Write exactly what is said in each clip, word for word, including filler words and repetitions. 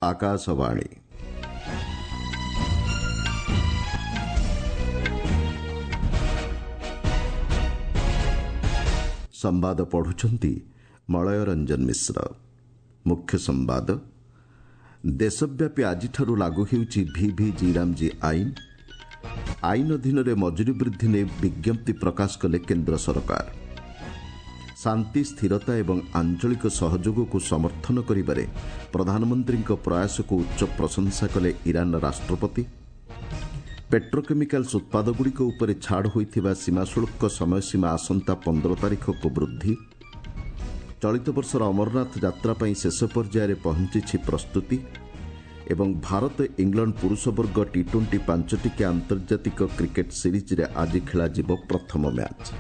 ଆକାଶବାଣୀ ସମ୍ବାଦ ପଢୁଛନ୍ତି ମଳୟ ରଞ୍ଜନ ମିଶ୍ର ମୁଖ୍ୟ ସମ୍ବାଦ ଦେଶବ୍ୟାପୀ ଆଜିଠାରୁ ଲାଗୁ ହେଉଛି ଭିଭି ଜିରାମଜୀ ଆଇନ ଆଇନ ଅଧୀନରେ ମଜୁରୀ ବୃଦ୍ଧି ନେଇ ବିଜ୍ଞପ୍ତି ପ୍ରକାଶ କଲେ କେନ୍ଦ୍ର ସରକାର ଶାନ୍ତି ସ୍ଥିରତା ଏବଂ ଆଞ୍ଚଳିକ ସହଯୋଗକୁ ସମର୍ଥନ କରିବାରେ ପ୍ରଧାନମନ୍ତ୍ରୀଙ୍କ ପ୍ରୟାସକୁ ଉଚ୍ଚ ପ୍ରଶଂସା କଲେ ଇରାନ ରାଷ୍ଟ୍ରପତି ପେଟ୍ରୋକେମିକାଲ୍ସ ଉତ୍ପାଦଗୁଡ଼ିକ ଉପରେ ଛାଡ଼ ହୋଇଥିବା ସୀମାଶୁଳ୍କ ସମୟସୀମା ଆସନ୍ତା ପନ୍ଦର ତାରିଖକୁ ବୃଦ୍ଧି ଚଳିତ ବର୍ଷର ଅମରନାଥ ଯାତ୍ରା ପାଇଁ ଶେଷ ପର୍ଯ୍ୟାୟରେ ପହଞ୍ଚିଛି ପ୍ରସ୍ତୁତି ଏବଂ ଭାରତ ଇଂଲଣ୍ଡ ପୁରୁଷ ବର୍ଗ ଟି ଟ୍ୱେଣ୍ଟି ପାଞ୍ଚଟିକିଆ ଆନ୍ତର୍ଜାତିକ କ୍ରିକେଟ୍ ସିରିଜ୍ରେ ଆଜି ଖେଳାଯିବ ପ୍ରଥମ ମ୍ୟାଚ୍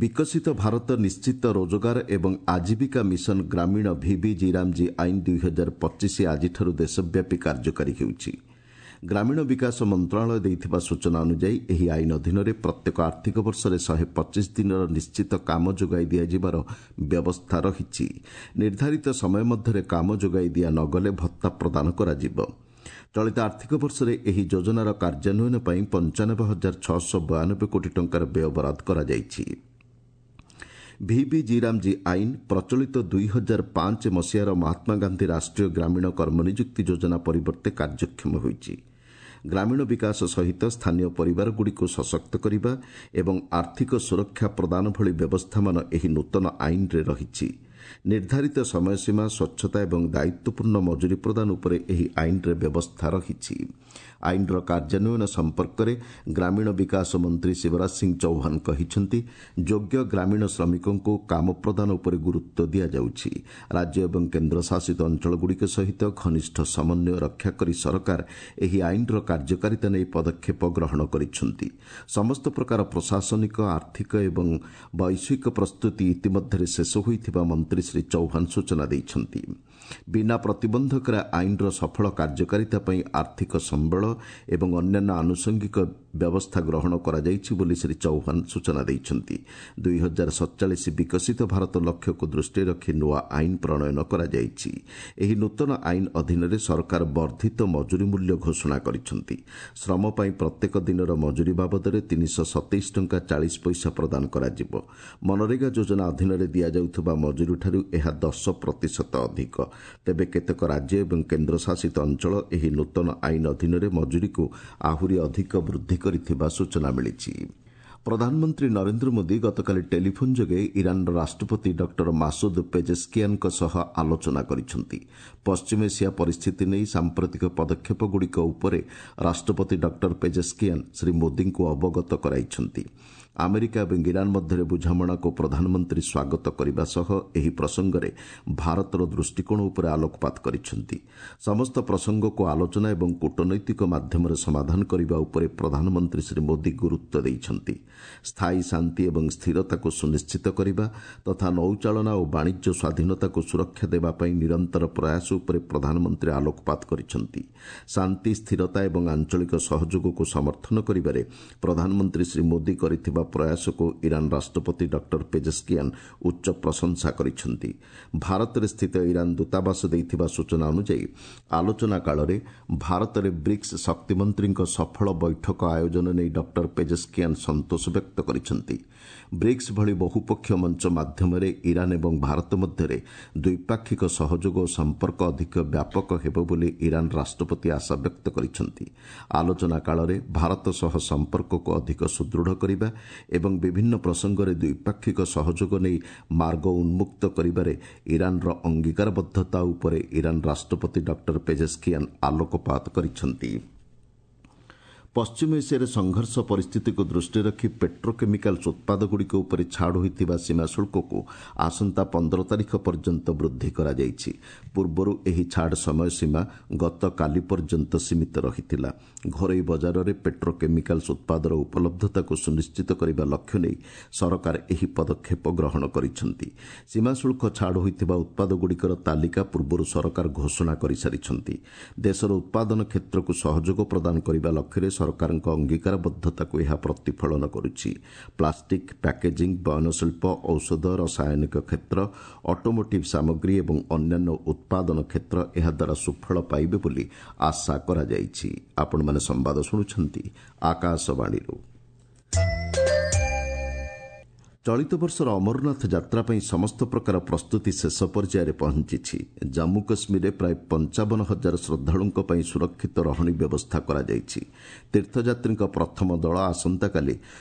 ବିକଶିତ ଭାରତ ନିଶ୍ଚିତ ରୋଜଗାର ଏବଂ ଆଜୀବିକା ମିଶନ ଗ୍ରାମୀଣ ଭିଭି ଜିରାମଜୀ ଆଇନ ଦୁଇ ହଜାର ପଚିଶ ଆଜିଠାରୁ ଦେଶବ୍ୟାପୀ କାର୍ଯ୍ୟକାରୀ ହେଉଛି ଗ୍ରାମୀଣ ବିକାଶ ମନ୍ତ୍ରଣାଳୟ ଦେଇଥିବା ସୂଚନା ଅନୁଯାୟୀ ଏହି ଆଇନ ଅଧୀନରେ ପ୍ରତ୍ୟେକ ଆର୍ଥିକ ବର୍ଷରେ ଶହେ ପଚିଶ ଦିନର ନିଶ୍ଚିତ କାମ ଯୋଗାଇ ଦିଆଯିବାର ବ୍ୟବସ୍ଥା ରହିଛି ନିର୍ଦ୍ଧାରିତ ସମୟ ମଧ୍ୟରେ କାମ ଯୋଗାଇ ଦିଆ ନ ଗଲେ ଭତ୍ତା ପ୍ରଦାନ କରାଯିବ ଚଳିତ ଆର୍ଥିକ ବର୍ଷରେ ଏହି ଯୋଜନାର କାର୍ଯ୍ୟାନ୍ୱୟନ ପାଇଁ ପଞ୍ଚାନବେ ହଜାର ଛଅଶହ ବୟାନବେ କୋଟି ଟଙ୍କାର ବ୍ୟୟବରାଦ କରାଯାଇଛି ଭିଭି ଜିରାମଜୀ ଆଇନ ପ୍ରଚଳିତ ଦୁଇ ହଜାର ପାଞ୍ଚ ମସିହାର ମହାତ୍ମାଗାନ୍ଧୀ ରାଷ୍ଟ୍ରୀୟ ଗ୍ରାମୀଣ କର୍ମନିଯୁକ୍ତି ଯୋଜନା ପରିବର୍ତ୍ତେ କାର୍ଯ୍ୟକ୍ଷମ ହୋଇଛି ଗ୍ରାମୀଣ ବିକାଶ ସହିତ ସ୍ଥାନୀୟ ପରିବାରଗୁଡ଼ିକୁ ସଶକ୍ତ କରିବା ଏବଂ ଆର୍ଥିକ ସୁରକ୍ଷା ପ୍ରଦାନ ଭଳି ବ୍ୟବସ୍ଥାମାନ ଏହି ନୂତନ ଆଇନରେ ରହିଛି ନିର୍ଦ୍ଧାରିତ ସମୟସୀମା ସ୍ୱଚ୍ଛତା ଏବଂ ଦାୟିତ୍ୱପୂର୍ଣ୍ଣ ମଜୁରୀ ପ୍ରଦାନ ଉପରେ ଏହି ଆଇନରେ ବ୍ୟବସ୍ଥା ରହିଛି ଆଇନର କାର୍ଯ୍ୟାନ୍ୱୟନ ସମ୍ପର୍କରେ ଗ୍ରାମୀଣ ବିକାଶ ମନ୍ତ୍ରୀ ଶିବରାଜ ସିଂ ଚୌହାନ କହିଛନ୍ତି ଯୋଗ୍ୟ ଗ୍ରାମୀଣ ଶ୍ରମିକଙ୍କୁ କାମ ପ୍ରଦାନ ଉପରେ ଗୁରୁତ୍ୱ ଦିଆଯାଉଛି ରାଜ୍ୟ ଏବଂ କେନ୍ଦ୍ରଶାସିତ ଅଞ୍ଚଳଗୁଡ଼ିକ ସହିତ ଘନିଷ୍ଠ ସମନ୍ୱୟ ରକ୍ଷା କରି ସରକାର ଏହି ଆଇନର କାର୍ଯ୍ୟକାରିତା ନେଇ ପଦକ୍ଷେପ ଗ୍ରହଣ କରିଛନ୍ତି ସମସ୍ତ ପ୍ରକାର ପ୍ରଶାସନିକ ଆର୍ଥିକ ଏବଂ ବୈଷୟିକ ପ୍ରସ୍ତୁତି ଇତିମଧ୍ୟରେ ଶେଷ ହୋଇଥିବା ମନ୍ତ୍ରୀ ଶ୍ରୀ ଚୌହାନ ସୂଚନା ଦେଇଛନ୍ତି ବିନା ପ୍ରତିବନ୍ଧକରେ ଆଇନର ସଫଳ କାର୍ଯ୍ୟକାରିତା ପାଇଁ ଆର୍ଥିକ ସମ୍ବଳ ଏବଂ ଅନ୍ୟାନ୍ୟ ଆନୁଷଙ୍ଗିକ ବ୍ୟବସ୍ଥା ଗ୍ରହଣ କରାଯାଇଛି ବୋଲି ଶ୍ରୀ ଚୌହାନ ସୂଚନା ଦେଇଛନ୍ତି ଦୁଇ ହଜାର ସତଚାଳିଶ ବିକଶିତ ଭାରତ ଲକ୍ଷ୍ୟକୁ ଦୃଷ୍ଟିରେ ରଖି ନୂଆ ଆଇନ ପ୍ରଣୟନ କରାଯାଇଛି ଏହି ନୂତନ ଆଇନ ଅଧୀନରେ ସରକାର ବର୍ଦ୍ଧିତ ମଜୁରୀ ମୂଲ୍ୟ ଘୋଷଣା କରିଛନ୍ତି ଶ୍ରମ ପାଇଁ ପ୍ରତ୍ୟେକ ଦିନର ମଜୁରୀ ବାବଦରେ ତିନିଶହ ସତେଇଶ ଟଙ୍କା ଚାଳିଶ ପଇସା ପ୍ରଦାନ କରାଯିବ ମନରେଗା ଯୋଜନା ଅଧୀନରେ ଦିଆଯାଉଥିବା ମଜୁରୀଠାରୁ ଏହା ଦଶ ପ୍ରତିଶତ ଅଧିକ ତେବେ କେତେକ ରାଜ୍ୟ ଏବଂ କେନ୍ଦ୍ରଶାସିତ ଅଞ୍ଚଳ ଏହି ନୂତନ ଆଇନ ଅଧୀନରେ ମଜୁରୀକୁ ଆହୁରି ଅଧିକ ବୃଦ୍ଧି କରିଥିବା ସୂଚନା ମିଳିଛି ପ୍ରଧାନମନ୍ତ୍ରୀ ନରେନ୍ଦ୍ର ମୋଦି ଗତକାଲି ଟେଲିଫୋନ୍ ଯୋଗେ ଇରାନର ରାଷ୍ଟ୍ରପତି ଡକ୍ଟର ମାସୁଦ ପେଜେସ୍କିଆନଙ୍କ ସହ ଆଲୋଚନା କରିଛନ୍ତି ପଶ୍ଚିମ ଏସିଆ ପରିସ୍ଥିତି ନେଇ ସାମ୍ପ୍ରତିକ ପଦକ୍ଷେପଗୁଡ଼ିକ ଉପରେ ରାଷ୍ଟ୍ରପତି ଡକ୍ଟର ପେଜେସ୍କିଆନ ଶ୍ରୀ ମୋଦିଙ୍କୁ ଅବଗତ କରାଇଛନ୍ତି ଆମେରିକା ଏବଂ ଇରାନ ମଧ୍ୟରେ ବୁଝାମଣାକୁ ପ୍ରଧାନମନ୍ତ୍ରୀ ସ୍ୱାଗତ କରିବା ସହ ଏହି ପ୍ରସଙ୍ଗରେ ଭାରତର ଦୃଷ୍ଟିକୋଣ ଉପରେ ଆଲୋକପାତ କରିଛନ୍ତି ସମସ୍ତ ପ୍ରସଙ୍ଗକୁ ଆଲୋଚନା ଏବଂ କୂଟନୈତିକ ମାଧ୍ୟମରେ ସମାଧାନ କରିବା ଉପରେ ପ୍ରଧାନମନ୍ତ୍ରୀ ଶ୍ରୀ ମୋଦି ଗୁରୁତ୍ୱ ଦେଇଛନ୍ତି ସ୍ଥାୟୀ ଶାନ୍ତି ଏବଂ ସ୍ଥିରତାକୁ ସୁନିଶ୍ଚିତ କରିବା ତଥା ନୌଚାଳନା ଓ ବାଣିଜ୍ୟ ସ୍ୱାଧୀନତାକୁ ସୁରକ୍ଷା ଦେବା ପାଇଁ ନିରନ୍ତର ପ୍ରୟାସ ଉପରେ ପ୍ରଧାନମନ୍ତ୍ରୀ ଆଲୋକପାତ କରିଛନ୍ତି ଶାନ୍ତି ସ୍ଥିରତା ଏବଂ ଆଞ୍ଚଳିକ ସହଯୋଗକୁ ସମର୍ଥନ କରିବାରେ ପ୍ରଧାନମନ୍ତ୍ରୀ ଶ୍ରୀ ମୋଦି କରିଥିବା ପ୍ରୟାସକୁ ଇରାନ ରାଷ୍ଟ୍ରପତି ଡକ୍ଟର ପେଜେସ୍କିଆନ ଉଚ୍ଚ ପ୍ରଶଂସା କରିଛନ୍ତି ଭାରତରେ ସ୍ଥିତ ଇରାନ ଦୂତାବାସ ଦେଇଥିବା ସୂଚନା ଅନୁଯାୟୀ ଆଲୋଚନା କାଳରେ ଭାରତରେ ବ୍ରିକ୍ସ ଶକ୍ତିମନ୍ତ୍ରୀଙ୍କ ସଫଳ ବୈଠକ ଆୟୋଜନ ନେଇ ଡକ୍ଟର ପେଜେସ୍କିଆନ ସନ୍ତୋଷ ବ୍ୟକ୍ତ କରିଛନ୍ତି ବ୍ରିକ୍ସ ଭଳି ବହୁପକ୍ଷୀୟ ମଞ୍ଚ ମାଧ୍ୟମରେ ଇରାନ ଏବଂ ଭାରତ ମଧ୍ୟରେ ଦ୍ୱିପାକ୍ଷିକ ସହଯୋଗ ଓ ସମ୍ପର୍କ ଅଧିକ ବ୍ୟାପକ ହେବ ବୋଲି ଇରାନ ରାଷ୍ଟ୍ରପତି ଆଶା ବ୍ୟକ୍ତ କରିଛନ୍ତି ଆଲୋଚନା କାଳରେ ଭାରତ ସହ ସମ୍ପର୍କକୁ ଅଧିକ ସୁଦୃଢ଼ କରିବା ଏବଂ ବିଭିନ୍ନ ପ୍ରସଙ୍ଗରେ ଦ୍ୱିପାକ୍ଷିକ ସହଯୋଗ ନେଇ ମାର୍ଗ ଉନ୍ମୁକ୍ତ କରିବାରେ ଇରାନର ଅଙ୍ଗୀକାରବଦ୍ଧତା ଉପରେ ଇରାନ ରାଷ୍ଟ୍ରପତି ଡକ୍ଟର ପେଜେସ୍କିଆନ ଆଲୋକପାତ କରିଛନ୍ତି ପଶ୍ଚିମ ଏସିଆରେ ସଂଘର୍ଷ ପରିସ୍ଥିତିକୁ ଦୃଷ୍ଟିରେ ରଖି ପେଟ୍ରୋକେମିକାଲ୍ସ ଉତ୍ପାଦଗୁଡ଼ିକ ଉପରେ ଛାଡ଼ ହୋଇଥିବା ସୀମାଶୁଳ୍କକୁ ଆସନ୍ତା ପନ୍ଦର ତାରିଖ ପର୍ଯ୍ୟନ୍ତ ବୃଦ୍ଧି କରାଯାଇଛି ପୂର୍ବରୁ ଏହି ଛାଡ଼ ସମୟସୀମା ଗତକାଲି ପର୍ଯ୍ୟନ୍ତ ସୀମିତ ରହିଥିଲା ଘରୋଇ ବଜାରରେ ପେଟ୍ରୋକେମିକାଲ୍ସ ଉତ୍ପାଦର ଉପଲବ୍ଧତାକୁ ସୁନିଶ୍ଚିତ କରିବା ଲକ୍ଷ୍ୟ ନେଇ ସରକାର ଏହି ପଦକ୍ଷେପ ଗ୍ରହଣ କରିଛନ୍ତି ସୀମାଶୁଳ୍କ ଛାଡ଼ ହୋଇଥିବା ଉତ୍ପାଦଗୁଡ଼ିକର ତାଲିକା ପୂର୍ବରୁ ସରକାର ଘୋଷଣା କରିସାରିଛନ୍ତି ଦେଶର ଉତ୍ପାଦନ କ୍ଷେତ୍ରକୁ ସହଯୋଗ ପ୍ରଦାନ କରିବା ଲକ୍ଷ୍ୟରେ ସରକାରଙ୍କ ଅଙ୍ଗୀକାରବଦ୍ଧତାକୁ ଏହା ପ୍ରତିଫଳନ କରୁଛି। ପ୍ଲାଷ୍ଟିକ୍, ପ୍ୟାକେଜିଂ, ବୟନଶିଳ୍ପ, ଔଷଧ, ରସାୟନିକ କ୍ଷେତ୍ର, ଅଟୋମୋଟିଭ୍ ସାମଗ୍ରୀ ଏବଂ ଅନ୍ୟାନ୍ୟ ଉତ୍ପାଦନ କ୍ଷେତ୍ର ଏହାଦ୍ୱାରା ସୁଫଳ ପାଇବେ ବୋଲି ଆଶା କରାଯାଇଛି। ଆପଣମାନେ ସମ୍ବାଦ ଶୁଣୁଛନ୍ତି ଆକାଶବାଣୀରୁ। ଚଳିତ ବର୍ଷର ଅମରନାଥ ଯାତ୍ରା ପାଇଁ ସମସ୍ତ ପ୍ରକାର ପ୍ରସ୍ତୁତି ଶେଷ ପର୍ଯ୍ୟାୟରେ ପହଞ୍ଚିଛି। ଜାମ୍ମୁ କାଶ୍ମୀରରେ ପ୍ରାୟ ପଞ୍ଚାବନ ହଜାର ଶ୍ରଦ୍ଧାଳୁଙ୍କ ପାଇଁ ସୁରକ୍ଷିତ ରହଣି ବ୍ୟବସ୍ଥା କରାଯାଇଛି। ତୀର୍ଥଯାତ୍ରୀଙ୍କ ପ୍ରଥମ ଦଳ ଆସନ୍ତାକାଲି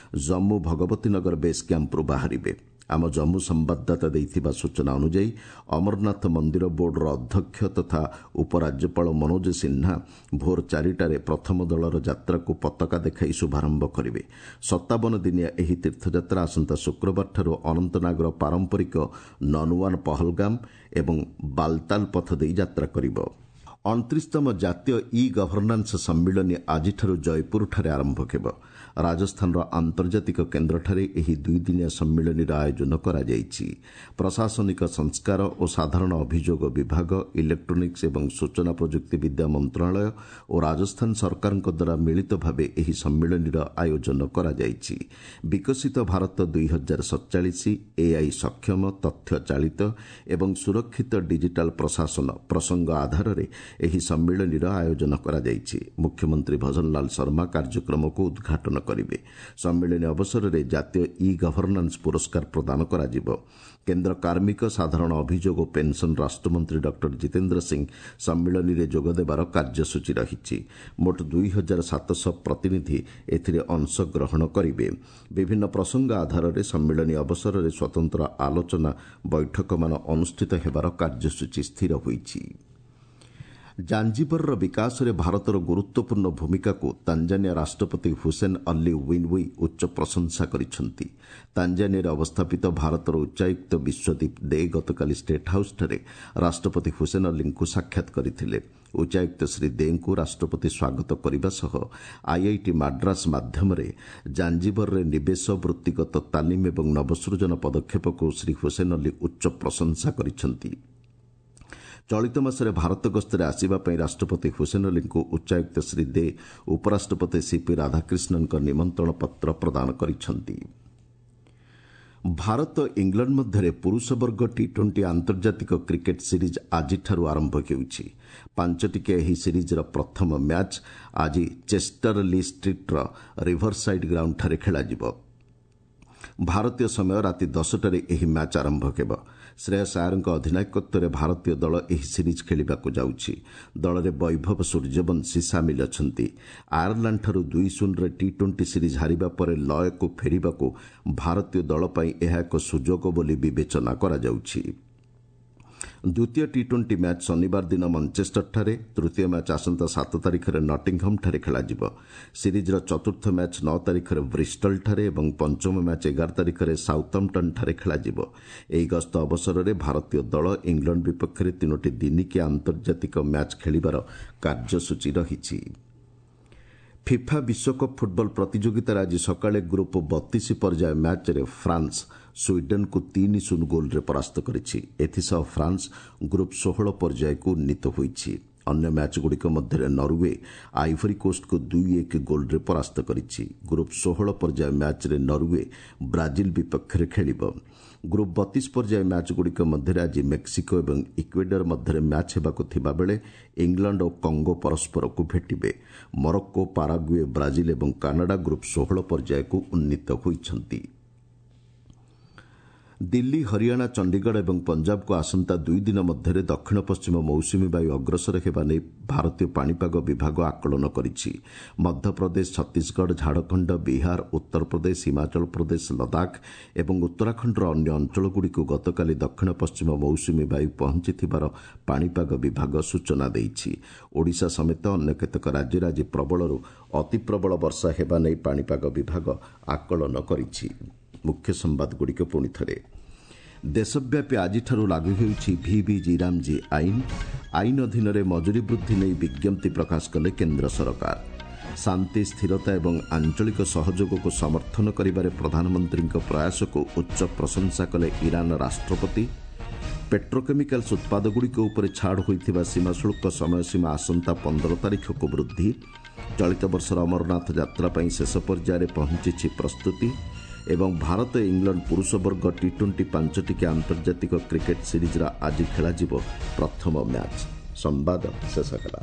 ଜମ୍ମୁ ଭଗବତୀ ନଗର ବେସ୍ କ୍ୟାମ୍ପରୁ ବାହାରିବେ। ଆମ ଜମ୍ମୁ ସମ୍ବାଦଦାତା ଦେଇଥିବା ସୂଚନା ଅନୁଯାୟୀ ଅମରନାଥ ମନ୍ଦିର ବୋର୍ଡର ଅଧ୍ୟକ୍ଷ ତଥା ଉପରାଜ୍ୟପାଳ ମନୋଜ ସିହ୍ନା ଭୋର ଚାରିଟାରେ ପ୍ରଥମ ଦଳର ଯାତ୍ରାକୁ ପତାକା ଦେଖାଇ ଶୁଭାରମ୍ଭ କରିବେ। ସତାବନ ଦିନିଆ ଏହି ତୀର୍ଥଯାତ୍ରା ଆସନ୍ତା ଶୁକ୍ରବାରଠାରୁ ଅନନ୍ତନାଗର ପାରମ୍ପରିକ ନନୱାନ ପହଲଗାମ ଏବଂ ବାଲତାଲ ପଥ ଦେଇ ଯାତ୍ରା କରିବ। ଅଣତିରିଶତମ ଜାତୀୟ ଇ ଗଭର୍ଣ୍ଣାନ୍ସ ସମ୍ମିଳନୀ ଆଜିଠାରୁ ଜୟପୁରଠାରେ ଆରମ୍ଭ ହେବ। ରାଜସ୍ଥାନର ଆନ୍ତର୍ଜାତିକ କେନ୍ଦ୍ରଠାରେ ଏହି ଦୁଇଦିନିଆ ସମ୍ମିଳନୀର ଆୟୋଜନ କରାଯାଇଛି। ପ୍ରଶାସନିକ ସଂସ୍କାର ଓ ସାଧାରଣ ଅଭିଯୋଗ ବିଭାଗ, ଇଲେକ୍ଟ୍ରୋନିକ୍ସ ଏବଂ ସୂଚନା ପ୍ରଯୁକ୍ତି ବିଦ୍ୟା ମନ୍ତ୍ରଣାଳୟ ଓ ରାଜସ୍ଥାନ ସରକାରଙ୍କ ଦ୍ୱାରା ମିଳିତ ଭାବେ ଏହି ସମ୍ମିଳନୀର ଆୟୋଜନ କରାଯାଇଛି। ବିକଶିତ ଭାରତ ଦୁଇ ହଜାର ସତଚାଳିଶ, ଏଆଇ ସକ୍ଷମ, ତଥ୍ୟ ଚାଳିତ ଏବଂ ସୁରକ୍ଷିତ ଡିଜିଟାଲ ପ୍ରଶାସନ ପ୍ରସଙ୍ଗ ଆଧାରରେ ଏହି ସମ୍ମିଳନୀର ଆୟୋଜନ କରାଯାଇଛି। ମୁଖ୍ୟମନ୍ତ୍ରୀ ଭଜନଲାଲ ଶର୍ମା କାର୍ଯ୍ୟକ୍ରମକୁ ଉଦ୍ଘାଟନ କରିବେ। ସମ୍ମିଳନୀ ଅବସରରେ ଜାତୀୟ ଇ ଗଭର୍ଣ୍ଣାନ୍ସ ପୁରସ୍କାର ପ୍ରଦାନ କରାଯିବ। କେନ୍ଦ୍ର କାର୍ମିକ, ସାଧାରଣ ଅଭିଯୋଗ ଓ ପେନ୍ସନ୍ ରାଷ୍ଟ୍ରମନ୍ତ୍ରୀ ଡକ୍ଟର ଜିତେନ୍ଦ୍ର ସିଂ ସମ୍ମିଳନୀରେ ଯୋଗଦେବାର କାର୍ଯ୍ୟସୂଚୀ ରହିଛି। ମୋଟ ଦୁଇ ହଜାର ସାତଶହ ପ୍ରତିନିଧି ଏଥିରେ ଅଂଶଗ୍ରହଣ କରିବେ। ବିଭିନ୍ନ ପ୍ରସଙ୍ଗ ଆଧାରରେ ସମ୍ମିଳନୀ ଅବସରରେ ସ୍ୱତନ୍ତ୍ର ଆଲୋଚନା ବୈଠକମାନ ଅନୁଷ୍ଠିତ ହେବାର କାର୍ଯ୍ୟସୂଚୀ ସ୍ଥିର ହୋଇଛି। ଜାଞ୍ଜିବରର ବିକାଶରେ ଭାରତର ଗୁରୁତ୍ୱପୂର୍ଣ୍ଣ ଭୂମିକାକୁ ତାଞ୍ଜାନିଆ ରାଷ୍ଟ୍ରପତି ହୁସେନ୍ ଅଲ୍ଲୀ ୱିନ୍ୱି ଉଚ୍ଚ ପ୍ରଶଂସା କରିଛନ୍ତି। ତାଞ୍ଜାନିଆରେ ଅବସ୍ଥାପିତ ଭାରତର ଉଚ୍ଚାୟୁକ୍ତ ବିଶ୍ୱଦୀପ ଦେ ଗତକାଲି ଷ୍ଟେଟ୍ ହାଉସ୍ଠାରେ ରାଷ୍ଟ୍ରପତି ହୁସେନ୍ ଅଲ୍ଲୀଙ୍କୁ ସାକ୍ଷାତ କରିଥିଲେ। ଉଚ୍ଚାୟୁକ୍ତ ଶ୍ରୀ ଦେଙ୍କୁ ରାଷ୍ଟ୍ରପତି ସ୍ୱାଗତ କରିବା ସହ ଆଇଆଇଟି ମାଡ୍ରାସ ମାଧ୍ୟମରେ ଜାଞ୍ଜିବରରେ ନିବେଶ, ବୃତ୍ତିଗତ ତାଲିମ ଏବଂ ନବସୃଜନ ପଦକ୍ଷେପକୁ ଶ୍ରୀ ହୁସେନ୍ ଅଲ୍ଲୀ ଉଚ୍ଚ ପ୍ରଶଂସା କରିଛନ୍ତି। ଚଳିତ ମାସରେ ଭାରତ ଗସ୍ତରେ ଆସିବା ପାଇଁ ରାଷ୍ଟ୍ରପତି ହୁସେନ୍ ଅଲ୍ଲୀଙ୍କୁ ଉଚ୍ଚାୟୁକ୍ତ ଶ୍ରୀ ଦେ ଉପରାଷ୍ଟ୍ରପତି ସିପି ରାଧାକ୍ରିଷ୍ଣନଙ୍କ ନିମନ୍ତ୍ରଣ ପତ୍ର ପ୍ରଦାନ କରିଛନ୍ତି। ଭାରତ ଇଂଲଣ୍ଡ ମଧ୍ୟରେ ପୁରୁଷ ବର୍ଗ ଟି ଟ୍ୱେଣ୍ଟି ଆନ୍ତର୍ଜାତିକ କ୍ରିକେଟ୍ ସିରିଜ୍ ଆଜିଠାରୁ ଆରମ୍ଭ ହେଉଛି। ପାଞ୍ଚଟିକିଆ ଏହି ସିରିଜ୍ର ପ୍ରଥମ ମ୍ୟାଚ୍ ଆଜି ଚେଷ୍ଟର ଲି ଷ୍ଟ୍ରିଟ୍ର ରିଭରସାଇଡ୍ ଗ୍ରାଉଣ୍ଡଠାରେ ଖେଳାଯିବ। ଭାରତୀୟ ସମୟ ରାତି ଦଶଟାରେ ଏହି ମ୍ୟାଚ୍ ଆରମ୍ଭ ହେବ। ଶ୍ରେୟସ ଆୟରଙ୍କ ଅଧିନାୟକତ୍ୱରେ ଭାରତୀୟ ଦଳ ଏହି ସିରିଜ୍ ଖେଳିବାକୁ ଯାଉଛି। ଦଳରେ ବୈଭବ ସୂର୍ଯ୍ୟବଂଶୀ ସାମିଲ ଅଛନ୍ତି। ଆୟାରଲାଣ୍ଡଠାରୁ ଦୁଇ ଶୂନରେ ଟି ଟ୍ୱେଣ୍ଟି ସିରିଜ୍ ହାରିବା ପରେ ଲୟକୁ ଫେରିବାକୁ ଭାରତୀୟ ଦଳ ପାଇଁ ଏହା ଏକ ସୁଯୋଗ ବୋଲି ବିବେଚନା କରାଯାଉଛି। ଦ୍ୱିତୀୟ ଟି ଟ୍ୱେଣ୍ଟି ମ୍ୟାଚ୍ ଶନିବାର ଦିନ ମଞ୍ଚେଷ୍ଟରଠାରେ, ତୃତୀୟ ମ୍ୟାଚ୍ ଆସନ୍ତା ସାତ ତାରିଖରେ ନଟିଂହମ୍ଠାରେ ଖେଳାଯିବ। ସିରିଜ୍ର ଚତୁର୍ଥ ମ୍ୟାଚ୍ ନଅ ତାରିଖରେ ବ୍ରିଷ୍ଟଲଠାରେ ଏବଂ ପଞ୍ଚମ ମ୍ୟାଚ୍ ଏଗାର ତାରିଖରେ ସାଉଥାମ୍ପଟନ୍ଠାରେ ଖେଳାଯିବ। ଏହି ଗସ୍ତ ଅବସରରେ ଭାରତୀୟ ଦଳ ଇଂଲଣ୍ଡ ବିପକ୍ଷରେ ତିନୋଟି ଦିନିକିଆ ଆନ୍ତର୍ଜାତିକ ମ୍ୟାଚ୍ ଖେଳିବାର କାର୍ଯ୍ୟସୂଚୀ ରହିଛି। ଫିଫା ବିଶ୍ୱକପ୍ ଫୁଟବଲ ପ୍ରତିଯୋଗିତାରେ ଆଜି ସକାଳେ ଗ୍ରୁପ୍ ବତିଶ ପର୍ଯ୍ୟାୟ ମ୍ୟାଚ୍ରେ ଫ୍ରାନ୍ସ ସ୍ୱିଡେନ୍କୁ ତିନି ଶୂନ ଗୋଲ୍ରେ ପରାସ୍ତ କରିଛି। ଏଥିସହ ଫ୍ରାନ୍ସ ଗ୍ରୁପ୍ ଷୋହଳ ପର୍ଯ୍ୟାୟକୁ ଉନ୍ନୀତ ହୋଇଛି। ଅନ୍ୟ ମ୍ୟାଚ୍ଗୁଡ଼ିକ ମଧ୍ୟରେ ନରୱେ ଆଇଭରି କୋଷ୍ଟକୁ ଦୁଇ ଏକ ଗୋଲ୍ରେ ପରାସ୍ତ କରିଛି। ଗ୍ରୁପ୍ ଷୋହଳ ପର୍ଯ୍ୟାୟ ମ୍ୟାଚ୍ରେ ନରୱେ ବ୍ରାଜିଲ ବିପକ୍ଷରେ ଖେଳିବ। ଗ୍ରୁପ୍ ବତିଶ ପର୍ଯ୍ୟାୟ ମ୍ୟାଚ୍ଗୁଡ଼ିକ ମଧ୍ୟରେ ଆଜି ମେକ୍ସିକୋ ଏବଂ ଇକ୍ୱେଡର ମଧ୍ୟରେ ମ୍ୟାଚ୍ ହେବାକୁ ଥିବାବେଳେ ଇଂଲଣ୍ଡ ଓ କଙ୍ଗୋ ପରସ୍ପରକୁ ଭେଟିବେ। ମରକ୍କୋ, ପାରାଗୁଏ, ବ୍ରାଜିଲ ଏବଂ କାନାଡା ଗ୍ରୁପ୍ ଷୋହଳ ପର୍ଯ୍ୟାୟକୁ ଉନ୍ନୀତ ହୋଇଛନ୍ତି। ଦିଲ୍ଲୀ, ହରିୟାଣା, ଚଣ୍ଡିଗଡ଼ ଏବଂ ପଞ୍ଜାବକୁ ଆସନ୍ତା ଦୁଇ ଦିନ ମଧ୍ୟରେ ଦକ୍ଷିଣ ପଶ୍ଚିମ ମୌସୁମୀ ବାୟୁ ଅଗ୍ରସର ହେବା ନେଇ ଭାରତୀୟ ପାଣିପାଗ ବିଭାଗ ଆକଳନ କରିଛି। ମଧ୍ୟପ୍ରଦେଶ, ଛତିଶଗଡ଼, ଝାଡ଼ଖଣ୍ଡ, ବିହାର, ଉତ୍ତରପ୍ରଦେଶ, ହିମାଚଳ ପ୍ରଦେଶ, ଲଦାଖ ଏବଂ ଉତ୍ତରାଖଣ୍ଡର ଅନ୍ୟ ଅଞ୍ଚଳଗୁଡ଼ିକୁ ଗତକାଲି ଦକ୍ଷିଣ ପଶ୍ଚିମ ମୌସୁମୀ ବାୟୁ ପହଞ୍ଚିଥିବାର ପାଣିପାଗ ବିଭାଗ ସୂଚନା ଦେଇଛି। ଓଡ଼ିଶା ସମେତ ଅନ୍ୟ କେତେକ ରାଜ୍ୟରେ ଆଜି ପ୍ରବଳରୁ ଅତିପ୍ରବଳ ବର୍ଷା ହେବା ନେଇ ପାଣିପାଗ ବିଭାଗ ଆକଳନ କରିଛି। ମୁଖ୍ୟ ସମ୍ବାଦଗୁଡ଼ିକ ପୁଣି ଥରେ। ଦେଶବ୍ୟାପୀ ଆଜିଠାରୁ ଲାଗୁ ହେଉଛି ଭିବିଜି ରାମଜୀ ଆଇନ। ଆଇନ ଅଧୀନରେ ମଜୁରୀ ବୃଦ୍ଧି ନେଇ ବିଜ୍ଞପ୍ତି ପ୍ରକାଶ କଲେ କେନ୍ଦ୍ର ସରକାର। ଶାନ୍ତି, ସ୍ଥିରତା ଏବଂ ଆଞ୍ଚଳିକ ସହଯୋଗକୁ ସମର୍ଥନ କରିବାରେ ପ୍ରଧାନମନ୍ତ୍ରୀଙ୍କ ପ୍ରୟାସକୁ ଉଚ୍ଚ ପ୍ରଶଂସା କଲେ ଇରାନ ରାଷ୍ଟ୍ରପତି। ପେଟ୍ରୋକେମିକାଲ୍ସ ଉତ୍ପାଦଗୁଡ଼ିକ ଉପରେ ଛାଡ଼ ହୋଇଥିବା ସୀମା ଶୁଳ୍କ ସମୟସୀମା ଆସନ୍ତା ପନ୍ଦର ତାରିଖକୁ ବୃଦ୍ଧି। ଚଳିତ ବର୍ଷର ଅମରନାଥ ଯାତ୍ରା ପାଇଁ ଶେଷ ପର୍ଯ୍ୟାୟରେ ପହଞ୍ଚିଛି ପ୍ରସ୍ତୁତି ଏବଂ ଭାରତ ଇଂଲଣ୍ଡ ପୁରୁଷ ବର୍ଗ ଟି ଟ୍ୱେଣ୍ଟି ପାଞ୍ଚଟିକିଆ ଆନ୍ତର୍ଜାତିକ କ୍ରିକେଟ୍ ସିରିଜ୍ର ଆଜି ଖେଳାଯିବ ପ୍ରଥମ ମ୍ୟାଚ୍। ସମ୍ବାଦ ଶେଷ ହେଲା।